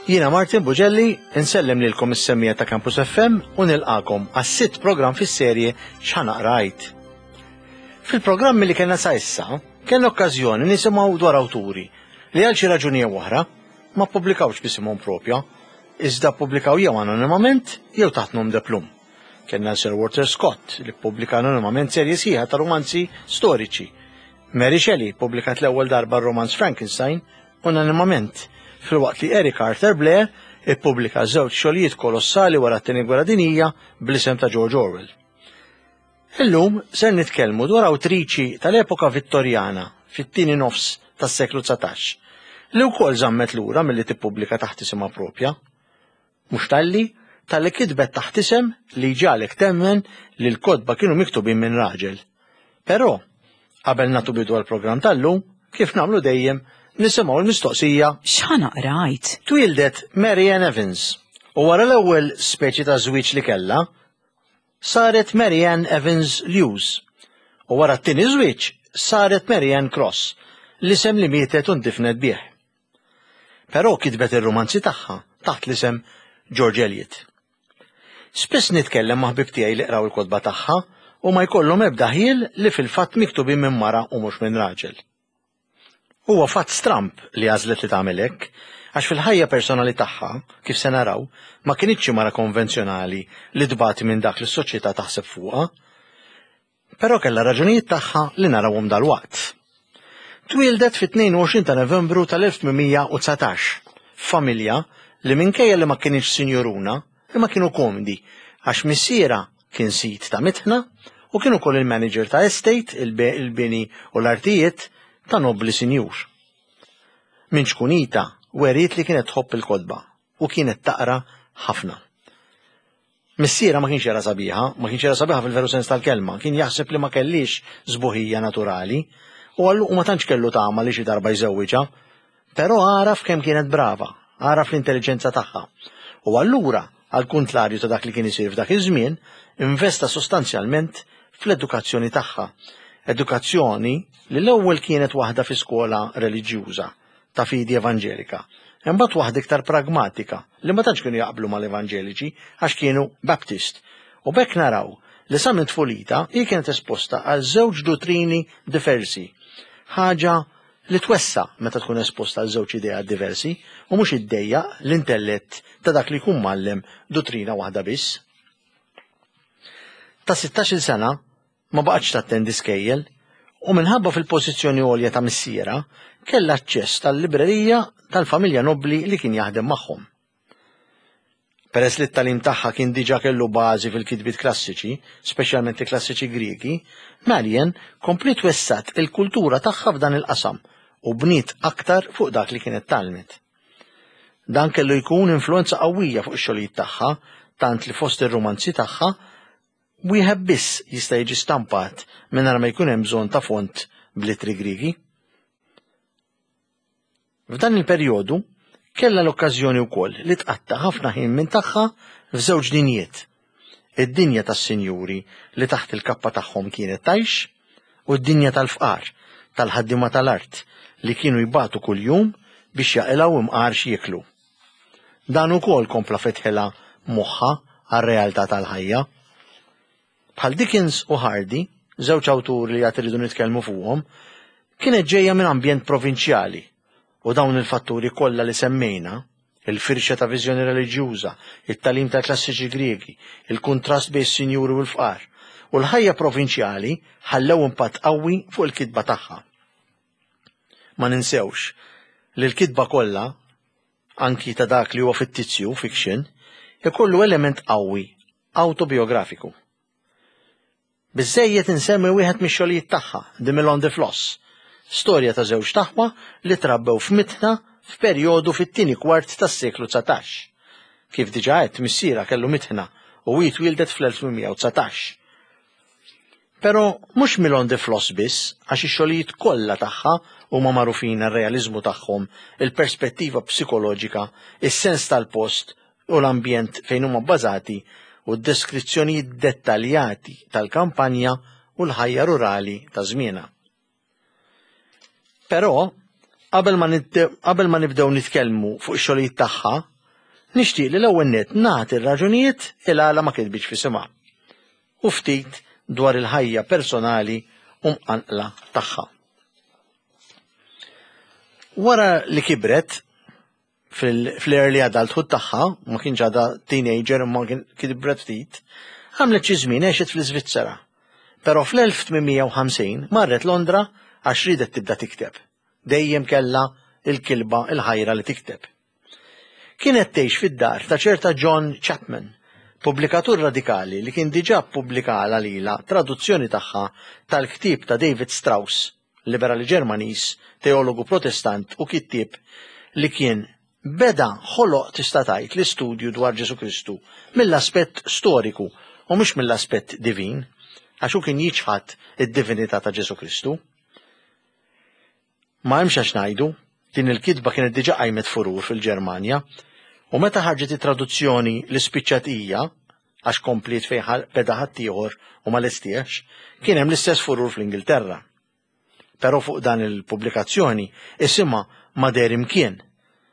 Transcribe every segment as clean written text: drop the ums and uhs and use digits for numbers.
Jiena Martin Bugelli, insellem lilkom is-semmija ta' Campus FM u nilqakom għas-sitt programm fis-serje X'ħanaqra Għid. Fil-programmi li kellna sa issa, kellna okkażjoni nisimgħu dwar awturi li għal xi raġuni jew oħra ma ppubblikawx b'isimhom propja, iżda ppubblikaw jew anonimament jew taħt nom de plume. Kellna Sir Walter Scott li ppubblika anonimament serje sħiħa ta' romanzi storiċi. Mary Shelley ppubblikat l-ewwel darba r-romanz Frankenstein unanimament, filwaqt li Eric Arthur Blair ippubblika żewġ xogħlijiet kolossali wara t-Tieni Gwerra Dinjija bl-isem ta' George Orwell. Illum ser nitkellmu dwar awtriċi tal-epoka Vittorjana fit-tieni nofs tas-seklu 19 li wkoll żammet lura milli tippubblika taħt isimha propja. Mhux talli, talli kitbet taħt isem li jġagħlek temmen li l-kotba kienu miktubin minn raġel. Però, qabel nagħtu bidu għall-programm tal-lum, kif nagħmlu dejjem, nisimgħu l-mistoqsija X'ħa naqra għid? Twieldet Mary Ann Evans u wara l-ewwel speċi ta' żwieġ li kellha, saret Mary Ann Evans Lewes u wara t-tieni żwieġ saret Mary Ann Cross, l-isem li mietet u ndifnet bih. Però kitbet ir-rumanzi tagħha taħt l-isem George Eliot. Spiss nitkellem ma' ħbieb tiegħi li qraw il-kotba tagħha u ma jkollhom ebda ħjiel li fil-fatt miktubin minn mara u mhux minn raġel. Huwa fatt stramb li għażlet li tagħmel hekk, għax fil-ħajja personali tagħha, kif se naraw, ma kinitx xi mara konvenzjonali li tbati minn dak li s-soċjetà taħseb fuqha. Però kellha raġunijiet tagħha li narawhom dalwaqt. Twieldet fit-22 ta' Novembru tal-1819 f'familja li minkejja li ma kinitx sinjuruna, imma kienu komdi għax missierha kien sid ta' mitħna u kien ukoll il-manager ta' estate, il-bini u l-artijiet ta' nobbli sinjur. Minn ċkunita weriet li kienet tħobb il-kotba u kienet taqra ħafna. Missierha ma kienx jara sabiħa, ma kienx jara sabiħa fil-veru sens tal-kelma, kien jaħseb li ma kellhiex sbuħija naturali u għallu ma tantx kellu tama li xi darba jżewwiġha. Però għaraf kemm kienet brava, għaraf l-intelliġenza tagħha. U allura, għal kuntlarju ta' dak li kien isir f'dak iż-żmien, investa sostanzjalment fl-edukazzjoni tagħha. Edukazzjoni li l-ewwel kienet waħda fi skola reliġjuża ta' fidi evanġelika. Imbagħad waħda iktar pragmatika li ma tantx kienu jaqblu mal-evanġeliċi għax kienu Baptist. U b'hekk naraw li sa minn tfulita hi kienet esposta għal żewġ duttrini diversi. Ħaġa li twessa' meta tkun esposta għal żewġ ideat diversi u mhux iddejjaq l-intellett ta' dak li jkun mgħallem duttrina waħda biss. Ta' sittax-il sena Ma baqgħetx tattendi skejjel u minħabba fil-pożizzjoni għolja ta' missierha kellha aċċess tal-librerija tal-familja nobbli li kien jaħdem magħhom. Peress li t-tagħlim tagħha kien diġà kellu bażi fil-kitbiet klassiċi, speċjalment il-klassiċi Griegi, Marian kompliet wessgħet il-kultura tagħha f'dan il-qasam u bniet aktar fuq dak li kienet tgħallmet. Dan kellu jkun influwenza qawwija fuq ix-xogħlijiet tagħha, tant li fost ir-rumanzi tagħha Wieħed biss jista' jiġi stampat mingħajr ma jkun hemm bżonn ta' font bl-ittri Griegi. F'dan il-perjodu kellha l-okkażjoni wkoll li tqatta' ħafna ħin minn tagħha f'żewġ dinjiet, id-dinja tas-sinjuri li taħt il-kappa tagħhom kienet tgħix u d-dinja tal-fqar, tal-ħaddiema tal-art li kienu jbatu kuljum biex jaqilgħu imqar x'jieklu. Dan ukoll kompla fetħilha moħħha għar-realtà tal-ħajja. Bħal Dickens u Hardy, żewġ awturi li għad irridu nitkellmu fuqhom, kienet ġejja minn ambjent provinċjali u dawn il-fatturi kollha li semmejna, il-firxa ta' viżjoni reliġjuża, it-tagħlim tal-klassiċi Griegi, il-kuntrast bejn is-sinjuri u l-fqar, u l-ħajja provinċjali ħallew impatt qawwi fuq il-kitba tagħha. Ma ninsewx li l-kitba kollha, anki ta' dak li huwa fittizju, fiction, ikollu element qawwi awtobijografiku. Biżżejjed insemmi wieħed mix-xogħlijiet tagħha, The Mill on the Floss, storja ta' żewġt aħwa li trabbew f'mitħna f'perjodu fit-tieni kwart tas-seklu 19. Kif diġà għedt, missierha kellu mitħna u hi twieldet fl-1819. Però mhux Milon de Floss biss, għax ix-xogħlijiet kollha tagħha huma magħrufin għar-realiżmu tagħhom, il-perspettiva psikoloġika, is-sens tal-post u l-ambjent fejn huma bbażati u d-deskrizzjonijiet dettaljati tal-kampanja u l-ħajja rurali ta' żmienha. Però, qabel ma qabel ma nibdew nitkellmu fuq ix-xogħlijiet tagħha, Nixtieq li l-ewwel nett nagħti r-raġunijiet il-għala ma kitbitx f'isimha u ftit dwar il-ħajja personali u mqanqla tagħha. Wara li kibret fl-early adulthood tagħha, ma kienx għadha teenager imma kibret ftit, għamlet xi żmien għexet fl-Iżvizzera. Però fl-1850 marret Londra għax riedet tibda tikteb. Dejjem kellha il-kilba il-ħajra li tikteb. Kienet tgħix fid-dar ta' ċerta John Chapman, pubblikatur radikali li kien diġà ppubblikalha lilha traduzzjoni tagħha tal-ktieb ta' David Strauss, liberali Ġermaniż, teologu Protestant u kittieb li kien beda ħoloq tista' tgħid l-istudju dwar Ġesù Kristu mill-aspett storiku u mhux mill-aspett divin, għax hu kien jiċħad id-divinità ta' Ġesù Kristu. Ma hemmx għax ngħidu, din il-kitba kienet diġà qajmet furur fil-Ġermanja, u meta ħarġet it-traduzzjoni li spiċċat hija, għax kompliet fejn beda ħaddieħor u ma lestiex, kien hemm l-istess furur fl-Ingilterra. Però fuq dan il-pubblikazzjoni isimha ma deher imkien.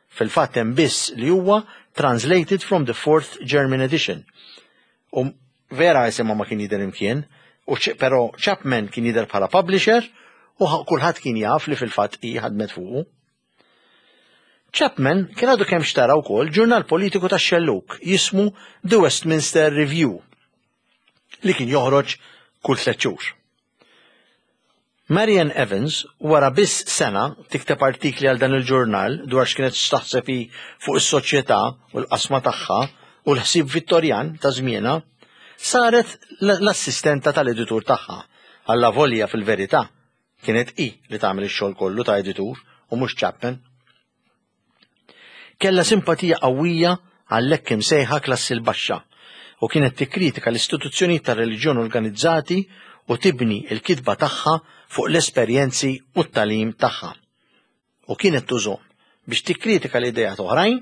Fil-fatt hemm biss li huwa translated from the fourth German edition. U vera isimha ma kien jidher imkien, u però Chapman kien jidher bħala publisher u kulħadd kien jaf li fil-fatt hi ħadmet fuqu. Chapman kien għadu kemm xtara wkoll ġurnal politiku tax-xellug jismu The Westminster Review li kien joħroġ kull tliet xhur. Marian Evans, wara biss sena tikteb artikli għal dan il-ġurnal dwar x'kienet x'taħseb hi fuq is-soċjetà u l-qasma tagħha u l-ħsieb Vittorjan ta' żmienha, saret l-assistenta tal-editur tagħha, allavolja fil-verità kienet hi li tagħmel ix-xogħol kollu ta' editur u mhux Chapman. Kellha simpatija qawwija għall-hekk imsejħa klassi l-baxxa u kienet tikkritika l-istituzzjonijiet tar-reliġjon organizzati u tibni l-kitba tagħha fuq l-esperjenzi u t-tagħlim tagħha. U kienet tużhom biex tikkritika l-ideat oħrajn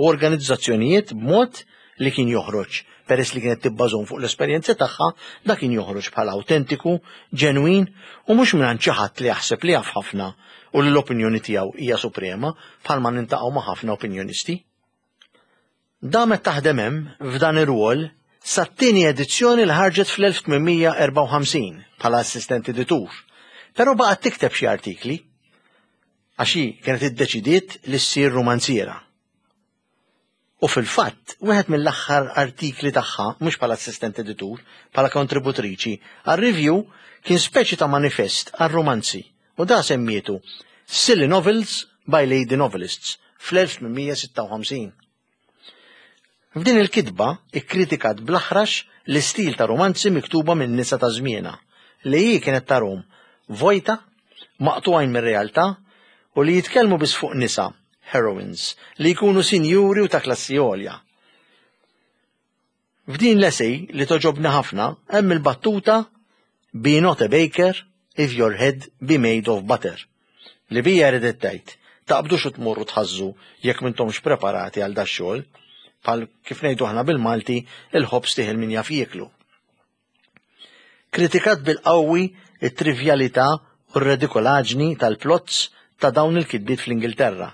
u organizzazzjonijiet b'mod li kien joħroġ, peress li kienet tibbażhom fuq l-esperjenzi tagħha, dak kien joħroġ bħala awtentiku, ġenwin u mhux mingħand xi ħadd li jaħseb li jaf ħafna u li l-opinjoni tiegħu hija suprema bħalma nintaqgħu ma' ħafna opinjonisti. Damet taħdem hemm f'dan ir-rwol sat-tieni edizzjoni li ħarġet fl-1854 bħala assistent editur, però baqgħet tikteb xi artikli għax hi kienet iddeċidiet li ssir rumanziera. U fil-fatt, wieħed mill-aħħar artikli tagħha, mhux bħala assistent editur, bħala kontributriċi, għar-review kien speċi ta' manifest għar-rumanzi u da semmietu Silly Novels by Lady Novelists fl-1856. F'din il-kitba ikkritikat bl-aħrax l-istil ta' rumanzi miktuba minn nisa ta' żmienha, li hi kienet tarhom vojta, maqtugħin mir-realtà u li jitkellmu biss fuq nisa heroines, li jkunu sinjuri u ta' klassi għolja. F'din l-essay li toġobni ħafna hemm il-battuta Be not a baker if your head be made of butter li bija ridet tgħid taqbdux u tmorru tħażżu jekk m'intomx preparati għal dax-xogħol, bħal kif ngħidu aħna bil-Malti il-ħobż tih min jaf jieklu. Kritikat bil-qawwi t-trivjalità u r-redikolaġni tal-plots ta' dawn il-kitbiet fl-Ingilterra,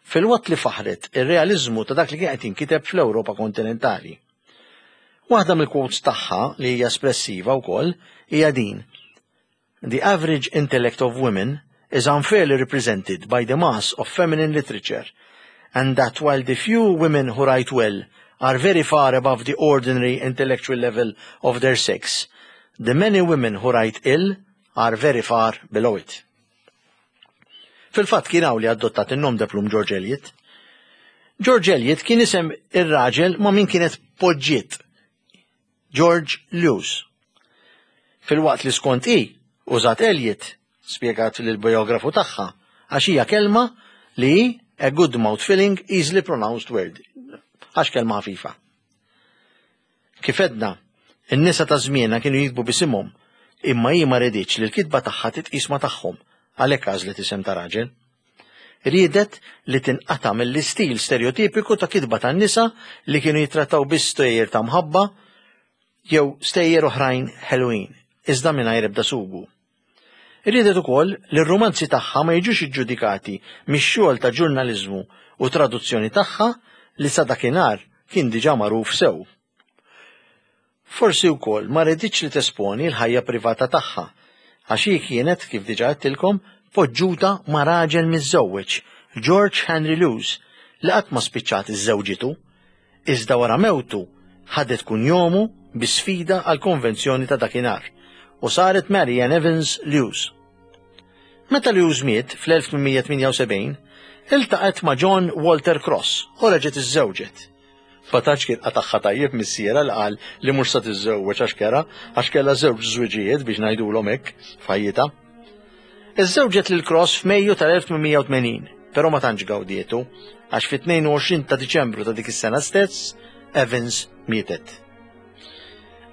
filwaqt li faħħret ir-realiżmu ta' dak li kien qed jinkiteb fl-Ewropa kontinentali. Waħda mill-quotes tagħha li hija espressiva wkoll hija din, The average intellect of women is unfairly represented by the mass of feminine literature, and that while the few women who write well are very far above the ordinary intellectual level of their sex, the many women who write ill are very far below it. Fil-fatt kien hawn li adottat in-nom de plum George Eliot. George Eliot kien isem ir-raġel ma' min kienet poġġiet George Lewes. Filwaqt li skont hi, użat Eliot, spjegat lill-biografu tagħha, għax hija kelma li hi a good mouth filling, easily pronounced word. Għax kelma ħafifa. Kif edna, in-nisa ta' żmienha kienu jiktbu b'isimhom, imma hi ma riditx li l-kitba tagħha titqis ma' tagħhom, għalhekk għażlet isem ta' raġel. Riedet li tinqata' mill-istil stereotipiku ta' kitba tan-nisa li kienu jittrattaw biss stejjer ta' mħabba jew stejjer oħrajn ħelwin, iżda mingħajr ebda sugu. Riedet ukoll li r-rumanzi tagħha ma jiġux iġġudikati mix-xogħol ta' ġurnaliżmu u traduzzjoni tagħha li sa dakinhar kien diġà magħruf sew. Forsi wkoll ma riditx li tesponi l-ħajja privata tagħha, għax hi kienet, kif diġà għedtilkom, poġġuta ma' raġel miżżewweġ, George Henry Lewes, li qatt ma spiċċat iżżewġitu, iżda wara mewtu ħadet kunjomu bi sfida għall-konvenzjoni ta' dakinhar u saret Mary Ann Evans Lewes. Meta Lewes miet fl-1878, iltaqgħet ma' John Walter Cross u reġgħet iżżewġet. Ma tantx kien qatagħha tajjeb missierha li qal li mhux sa tiżżewweġ għax kera, għax kellha żewġ żwiġijiet biex ngħidulhom hekk f'ħajjitha. Iżżewġet lil Cross f'Mejju tal-1880, però ma tantx gawdietu, għax fit-22 ta' Diċembru ta' dik is-sena stess, Evans mietet.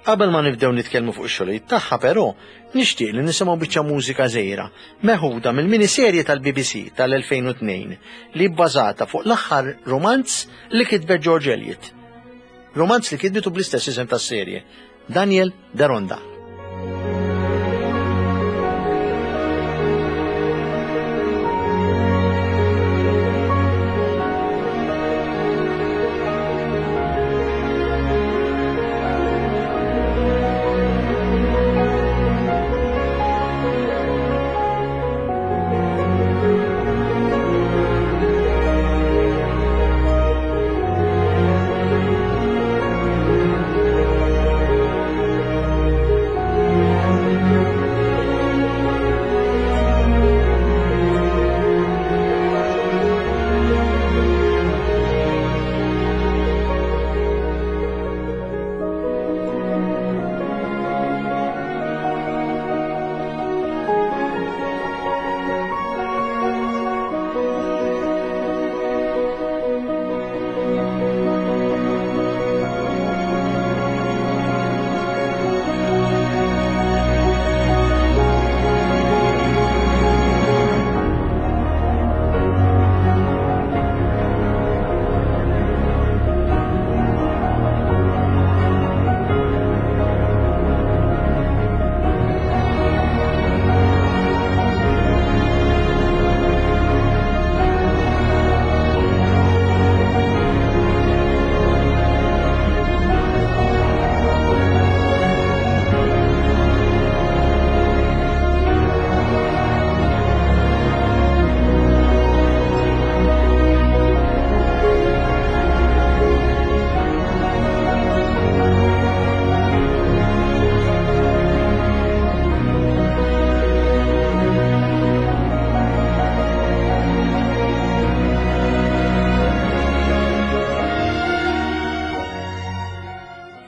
Qabel ma nibdew nitkellmu fuq ix-xogħlijiet tagħha però, nixtieq li nisimgħu biċċa mużika żgħira meħuda mill-miniserje tal-BBC tal-2002 li bbażata fuq l-aħħar rumanz li kitbet George Eliot. Rumanz li kitbitu bl-istess isem tas-serje, Daniel Deronda.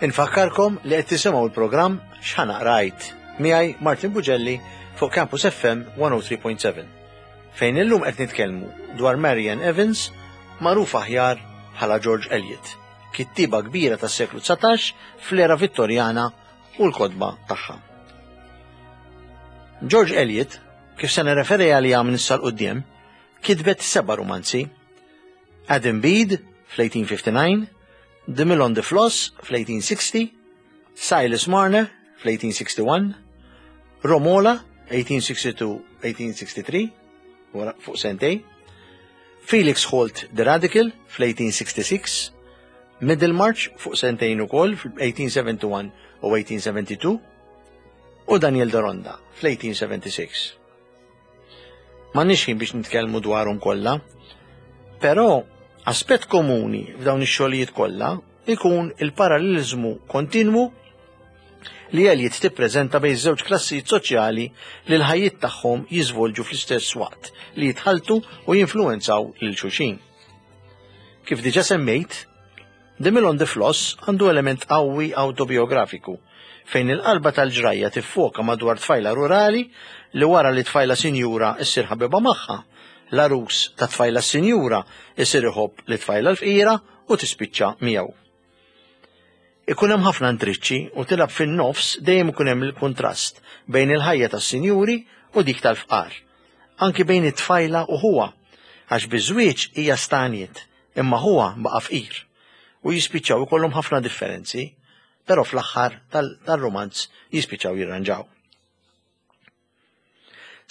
Infakkarkom li qed tisimgħu l-programm X'ħa Qrajt miegħi Martin Bugelli fuq Campus FM 103.7 fejn illum qed nitkellmu dwar Marian Evans magħruf aħjar bħala George Eliot, kittieba kbira tas-seklu 19 fl-era Vittorjana u l-kotba tagħha. George Eliot, kif se nirreferi għaliha minn issa 'l quddiem, kitbet seba' rumanzi. Adam Bede fl-1859, The Mill on the Floss fl-1860, Silas Marner fl-1861, Romola 1862-1863, wara fuq sentej, Felix Holt The Radical fl-1866, Middlemarch fuq sentejn ukoll fl-1871 u 1872, u Daniel Deronda fl-1876. M'għandniex ħin biex nitkellmu dwarhom kollha, però aspett komuni f'dawn ix-xogħlijiet kollha ikun il-paralleliżmu kontinwu li Eliot tippreżenta bejn żewġ klassijiet soċjali li l-ħajjiet tagħhom jiżvolġu fl-istess waqt li jitħalltu u jinfluwenzaw lil xulxin. Kif diġà semmejt, The Mill on the Floss għandu element qawwi awtobiografiku, fejn il-qalba tal-ġrajja tiffoka madwar tfajla rurali li wara li tfajla sinjura ssir ħabiba magħha, l-għarus tat-tfajla s-sinjura jsir iħobb lit-tfajla l-fqira u tispiċċa miegħu. Ikun hemm ħafna intriċċi u tilgħab fin-nofs dejjem ikun hemm il-kuntrast bejn il-ħajja tas-sinjuri u dik tal-fqar. Anki bejn it-tfajla u ħuha, għax biż-żwieġ hija stagħniet imma ħuha baqa' fqir. U jispiċċaw ikollhom ħafna differenzi, però fl-aħħar tal-rumanz jispiċċaw jirranġaw.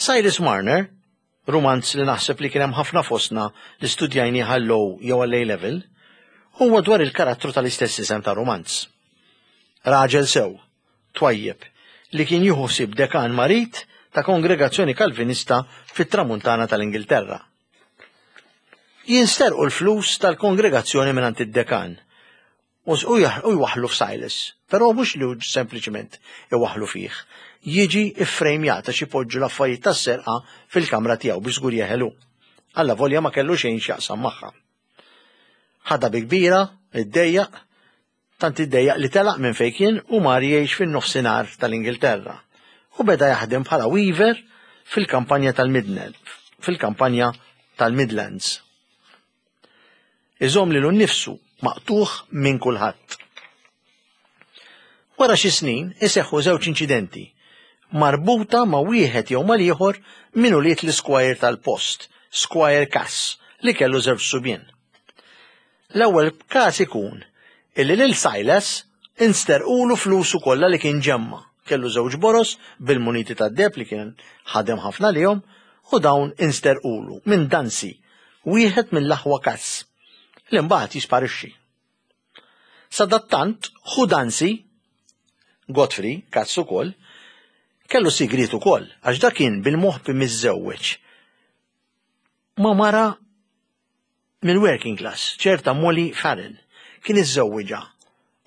Cyrus Marner, rumanz li naħseb li kien hemm ħafna fostna li studjajnih għall-O jew għall-A level, huwa dwar il-karattru tal-istess isem tar-rumanz. Raġel sew, twajjeb, li kien jieħu ħsieb dekan marid ta' kongregazzjoni Kalvinista fit-Tramuntana tal-Ingilterra. Jinsterqu l-flus tal-kongregazzjoni mingħand id-dekan u jwaħħlu f'Silas, però mhux li sempliċement iwaħħlu fih, jiġi iffrejmjat għax ipoġġu l-affarijiet tas-serqa fil-kamra tiegħu biex żgur jeħel hu. Allavolja ma kellu xejn x'jaqsam magħha. Ħadha bi kbira, iddejjaq, tant iddejjaq li telaq minn fejn kien u mar jgħix fin-nofsinhar tal-Ingilterra u beda jaħdem bħala weaver fil-kampanja tal-Midland, fil-kampanja tal-Midlands. Iżomm lilu nnifsu maqtugħ minn kulħadd. Wara xi snin iseħħu żewġ inċidenti marbuta ma' wieħed jew mal-ieħor minn ulied l-isquire tal-post, Squire Cass, li kellu żewġ subien. L-ewwel każ ikun illi lil Silas insterqulu flusu kollha li kien ġemma'. Kellu żewġ boroż bil-muniti tad-deheb li kien ħadem ħafna għalihom u dawn insterqulu minn Dancy, wieħed mill-aħwa Cass, li mbagħad jisparixxi. Sadattant, ħu Dancy, Godfrey Cass ukoll, kellu sigriet ukoll għax dak kien bil-moħbi miżżewweġ ma' mara mill-working class, ċerta Molly Farrell, kien iżżewwiġha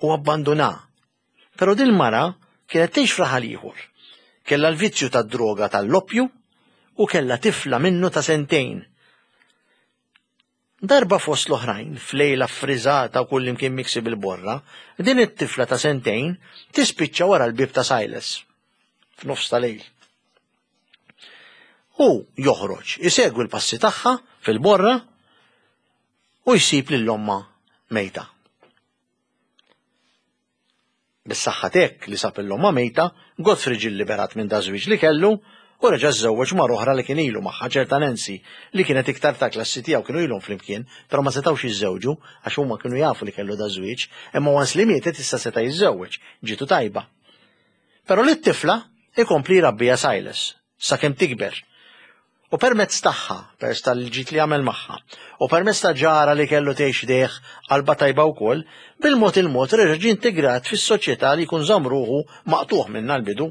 u abbandunha. Però din mara kienet tgħix f'raħal ieħor. Kellha l-vizzju tad-droga tal-loppju u kellha tifla minnu ta' sentejn. Darba fost l-oħrajn, f'lejla ffriżata u kullimkien miksi bil-borra, din it-tifla ta' sentejn tispiċċa wara l-bieb ta' Silas f'nofs ta' lejl. Hu joħroġ, isegwi l-passi tagħha fil-borra u jsib lil ommha mejta. Bis-saħħa t'hekk li sab lil ommha mejta, Godfrey ġie lliberat minn daż-żwieġ li kellu u reġa' żżewweġ mara oħra li kien ilu magħha, ċerta Nancy, li kienet iktar tal-klassi tiegħu, kienu ilhom flimkien, però ma setgħux jiżżewġu għax huma kienu jafu li kellu daż-żwieġ, imma once li mietet issa seta' jiżżewweġ, ġietu tajba. Però lit-tifla ikompli jrabbiha Silas, sakemm tikber. U permezz tagħha, permezz tal-ġid li għamel magħha, u permezz ta' ġara li kellu tgħix ħdejh qalbha tajba wkoll, bil-mod il-mod reġa' ġie integrat fis-soċjetà li jkun żamm ruħu maqtugħ minnha l-bidu.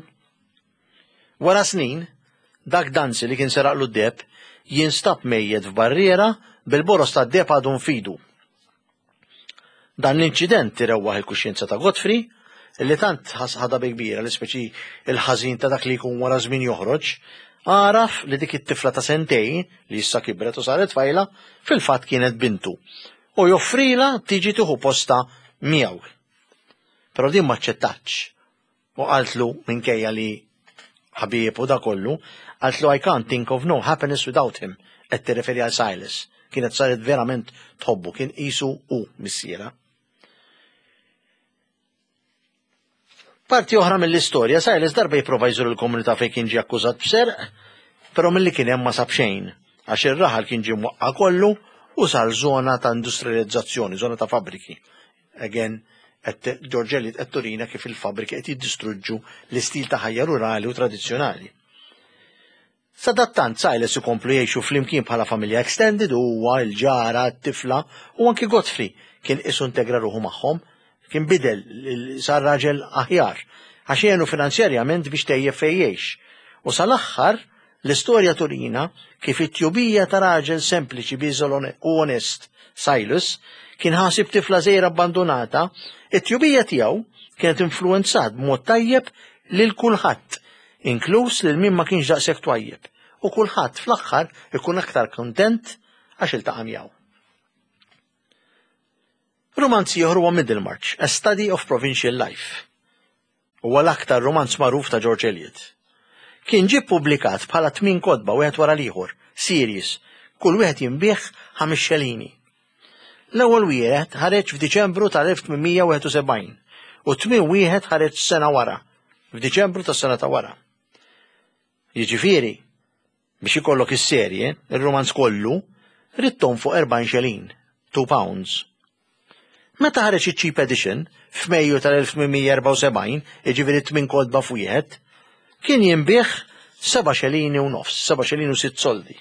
Wara snin, dak Dancy li kien seraqlu d-deheb jinstab mejjet f'barriera bil-boroż tad-deheb għadu nfidu. Dan l-inċident irewwaħ il-kuxjenza ta' Godfrey, li tant ħadha bi kbira li speċi il-ħażin ta' dak li jkun wara żmien joħroġ, għaraf li dik it-tifla ta' sentejn, li issa kibret u saret tfajla, fil-fatt kienet bintu, u joffrilha tiġi tieħu postha miegħu. Però din m'aċċettatx U qaltlu minkejja li ħabieb u da kollu, qaltlu I can't think of no happiness without him, qed tirreferi għal Silas. Kienet saret verament tħobbu, kien qisu hu missierha. Parti oħra mill-istorja, Silas darba jipprova jżur il-komunità fejn kien ġie akkużat b'serq, però milli kien hemm ma sab xejn, għax ir-raħal kien ġie mwaqqa' kollu u sar żona ta' industrializzazzjoni, żona ta' fabbriki. Again, qed George Eliot qed turina kif il-fabbriki qed jiddistruġġu l-istil ta' ħajja rurali u tradizzjonali. Sadattant Silas ikomplu jgħixu flimkien bħala familja extended u huwa, il-ġara, t-tifla u anki Godfrey kien qisu integra ruħu magħhom, kien bidel, sar raġel aħjar, għax għenu finanzjarjament biex tejjeb fejn jgħix. U sal-aħħar L-istorja turina kif it-tjubija ta' raġel sempliċi, bieżel u onest, Silas, kien ħasib tifla żgħira abbandunata, it-tjubija tiegħu kienet influwenzat b'mod tajjeb lil kulħadd, inkluż lil min ma kienx daqshekk twajjeb, u kulħadd fl-aħħar ikun aktar kuntent għax iltaqa' miegħu. Rumanz ieħor huwa Middlemarch, A Study of Provincial Life. Huwa l-aktar rumanz magħruf ta' George Eliot. Kien ġie ppubblikat bħala tmien kotba wieħed wara l-ieħor, series, kull wieħed jinbiegħ ħames xelini. L-ewwel wieħed ħareġ f'Diċembru tal-1871 u t-tmien wieħed ħareġ sena wara, f'Diċembru tas-sena ta' wara. Jiġifieri, biex ikollok is-serje, ir-rumanz kollu, ridt tonfoq 40 xelin, 2 pounds. Meta ħareġ iċ-Cheap Edition, f'Mejju tal-1874, jiġifieri tmien kotba f'wieħed, kien jinbiegħ seba' xelini u nofs, seba' xelini u sitt soldi.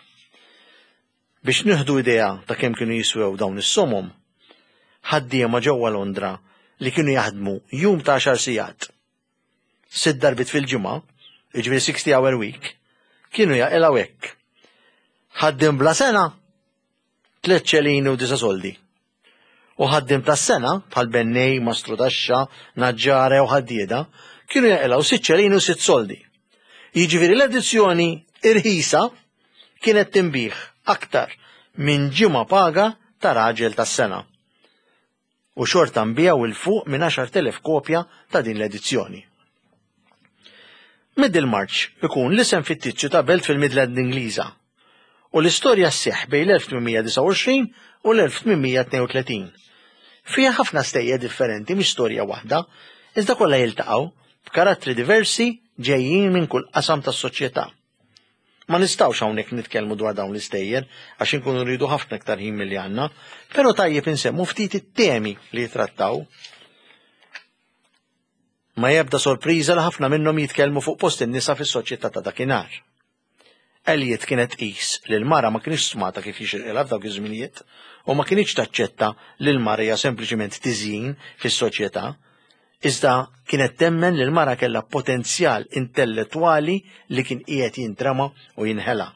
Biex nieħdu idea ta' kemm kienu jiswew dawn is-somom, ħaddiema ġewwa Londra li kienu jaħdmu jum ta' għaxar sigħat, sitt darbiet fil-ġimgħa, jiġifieri 60 hour week, kienu jaqilgħu hekk. Ħaddiem bla sena, tliet ċelini u disa' soldi. U ħaddiem tas-sena, bħal bennej, mastrudaxxa, naġġara jew ħaddieda, kienu jaqilgħu sitt ċelini u sitt soldi. Jiġifieri l-edizzjoni irħisa kienet tinbiegħ aktar minn ġimgħa paga ta' raġel tas-sena. U xorta nbiegħu 'l fuq minn 10,000 kopja ta' din l-edizzjoni. Middlemarch ikun l-isem fittizju ta' belt fil-Midland Ingliża u l-istorja sseħħ bejn l-1829 u l-1832. Fiha ħafna stejjer differenti mhix storja waħda, iżda kollha jiltaqgħu b'karattri diversi ġejjin minn kull qasam tas-soċjetà. Ma nistgħux hawnhekk nitkellmu dwar dawn l-istejjer għax inkunu rridu ħafna iktar ħin milli għandna, però tajjeb insemmu ftit it-temi li jitrattaw. Ma jebda sorpriża li ħafna minnhom jitkellmu fuq post in-nisa fis-soċjetà ta' dakinhar. Eliot kienet tqis li l-mara ma kinitx stmata kif jixirqilha f'dawk iż-żminijiet u ma kinitx taċċetta li l-mara hija sempliċiment tiżjin fis-soċjetà, iżda kienet temmen li l-mara kellha potenzjal intellettwali li kien qiegħed jintrema u jinħela.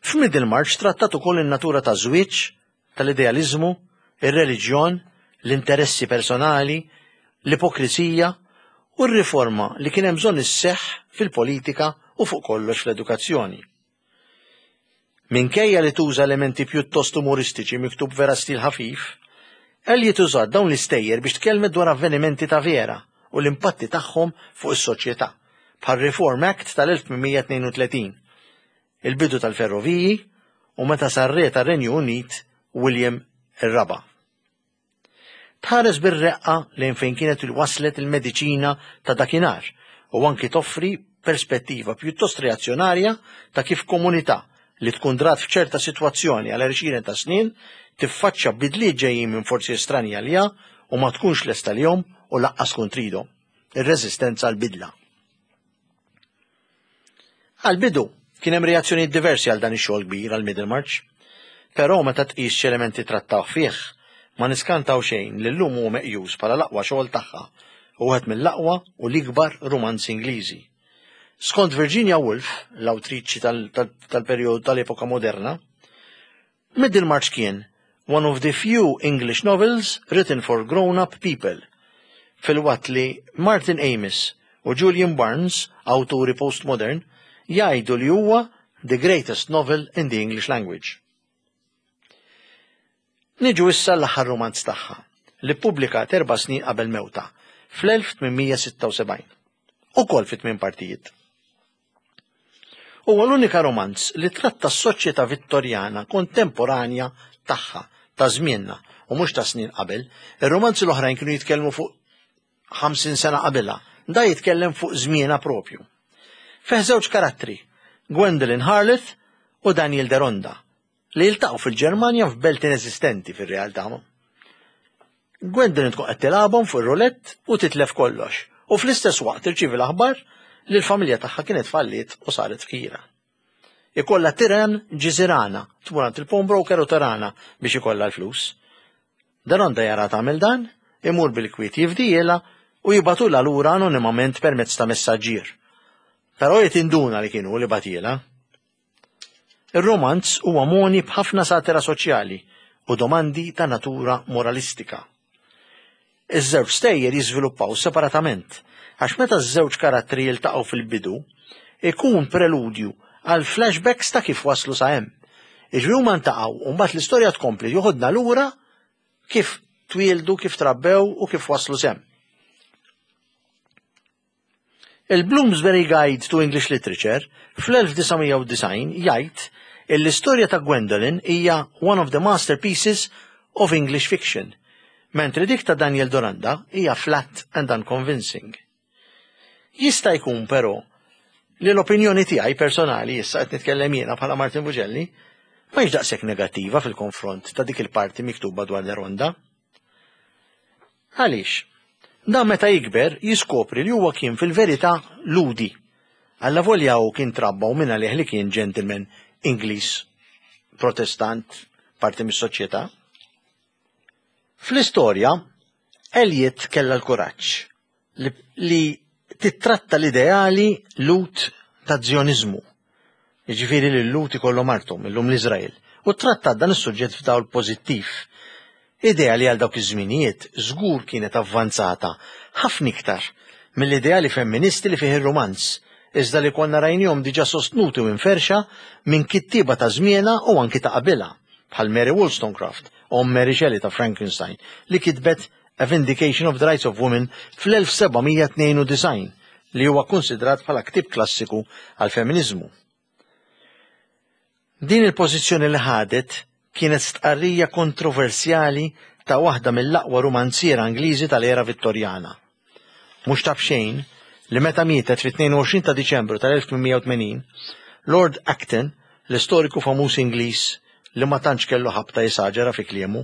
F'Middlemarch trattat ukoll in-natura taż-żwieġ, tal-idealiżmu, ir-reliġjon, l-interessi personali, l-ipokrisija u r-riforma li kien hemm bżonn isseħħ fil-politika u fuq kollox fl-edukazzjoni. Minkejja li tuża elementi pjuttost umoristiċi miktub vera stil ħafif, Eliot użat dawn l-istejjer biex tkellmet dwar avvenimenti ta' vera u l-impatti tagħhom fuq is-soċjetà, bħar-Reform Act tal-1832, il-bidu tal-ferroviji u meta sar re tar-Renju Unit William ir-Raba'. Tħares bir-reqqa lejn fejn kienet waslet il-mediċina ta' dakinhar u anki toffri perspettiva pjuttost reazzjonarja ta' kif komunità li tkun drat f'ċerta sitwazzjoni għal għexieren ta' snin tiffaċċja bidliet ġejjin minn forzi estranji għaliha u ma tkunx lesta lihom u lanqas tkun tridhom. Ir-reżistenza għall-bidla. Għall-bidu, kien hemm reazzjonijiet diversi għal dan ix-xogħol kbir għal Middlemarch. Però meta tqis x'elementi trattaw fih, ma niskantaw xejn li llum huwa meqjus bħala l-aqwa xogħol tagħha u wieħed mill-aqwa u l-ikbar rumanzi Ingliżi. Skont Virginia Woolf, l-awtriċi tal-perjodu tal-epoka moderna, Middlemarch kien one of the few English novels written for grown-up people, filwaqt li Martin Amis u Julian Barnes, awturi postmodern, jgħidu li huwa the greatest novel in the English language. Niġu issa l-aħħar rumanz tagħha, li ppubblikat erba' snin qabel mewtha, fl-1876. Ukoll fi tmien partijiet. Huwa l-unika romanz li tratta s-soċjetà Vittorjana kontemporanja tagħha, ta' żmienna, u mhux ta' snin qabel. Ir-romanzi l-oħrajn kienu jitkellmu fuq 50 sena qabilha. Da jitkellem fuq żmienha propju. Fih żewġ karattri, Gwendolyn Harleth u Daniel Deronda, li jiltaqgħu fil-Ġermanja f'belt ineżistenti fir-realtà. Gwendolyn tkun qed tilgħabhom fuq ir-roulette u titlef kollox, u fl-istess waqt tirċievi l-aħbar li l-familja tagħha kienet falliet u saret fqira. Ikollha tiren ġiżirana, tmur għand il-pawnbroker u tarana biex ikollha l-flus. Deronda jara tagħmel dan, imur bil-kwiet jifdijielha u jibgħatulha lura anonimament permezz ta' messaġġier. Però hi tinduna li kien hu li bagħtielha. Ir-rumanz huwa mogħni b'ħafna satira soċjali u domandi ta' natura moralistika. Iż-żewġ stejjer jiżviluppaw separatament għax meta ż-żewġ karattri jiltaqgħu fil-bidu, ikun preludju għal flashbacks ta' kif waslu sa hemm. Jiġifieri huma ntaqgħu u mbagħad l-istorja tkompli joħodna lura kif twieldu, kif trabbew u kif waslu s'hemm. Il-Bloomsbury Guide to English Literature fl-1990 jgħid illi l-istorja ta' Gwendolyn hija one of the masterpieces of English fiction, mentri dik ta' Daniel Doranda hija flat and unconvincing. Jista' jkun però li l-opinjoni tiegħi personali issa qed nitkellem jiena bħala Martin Bugelli ma hix daqshekk negattiva fil-konfront ta' dik il-parti miktuba dwar Deronda. Għaliex? Dan meta jikber jiskopri li huwa kien fil-verità Lhudi. Allavolja hu kien trabba u minn għalih li kien gentleman Ingliż, Protestant, parti mis-soċjetà. Fl-istorja, Eliot kellha l-kuraġġ li, li tittratta l-ideali Lhud ta' Zjoniżmu. Jiġifieri li l-Lhud ikollhom arthom, illum l-Iżrael, u trattat dan is-suġġett f'dawl pożittiv. Idea li għal dawk iż-żminijiet żgur kienet avvanzata ħafna iktar mill-ideali femministi li fih ir-rumanz, iżda li konna rajnihom diġà sostnuti u imferrxa minn kittieba ta' żmienha u anki ta' qabilha, bħal Mary Wollstonecraft, omm Mary Shelley ta' Frankenstein, li kitbet A Vindication of the Rights of Women fl-1792, li huwa kkunsidrat bħala ktieb klassiku għall-feminiżmu. Din il-pożizzjoni li ħadet kienet stqarrija kontroversjali ta' waħda mill-aqwa rumanziera Ingliżi tal-era Vittorjana. Mhux ta' b'xejn li meta mietet fit-22 ta' Diċembru tal-1880, Lord Acton, l-istoriku famuż Ingliż li ma tantx kellu ħabta jesaġera fi kliemu,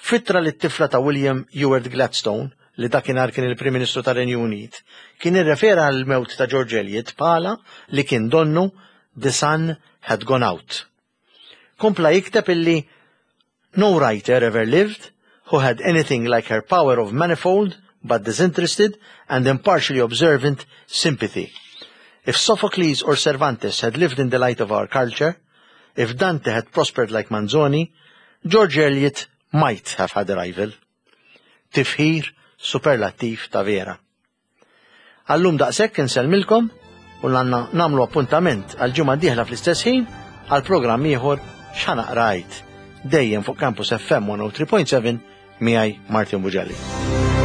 f'ittra lit-tifla ta' William Ewart Gladstone, li dakinhar kien il-Prim Ministru tar-Renju Unit, kien irrefera għall-mewt ta' George Eliot bħala li kien donnu the sun had gone out. Kompla jikteb illi no writer ever lived who had anything like her power of manifold but disinterested and impartially observant sympathy. If Sophocles or Cervantes had lived in the light of our culture, if Dante had prospered like Manzoni, George Eliot might have had a rival. Tifħir superlattiv ta' vera. Għallum daqshekk insellmilkom u għandna nagħmlu appuntament għal ġimgħa dieħla fl-istess ħin għal programm ieħor x'ħanaqrajt dejjem fuq Campus FM 103.7 miegħi Martin Bugelli.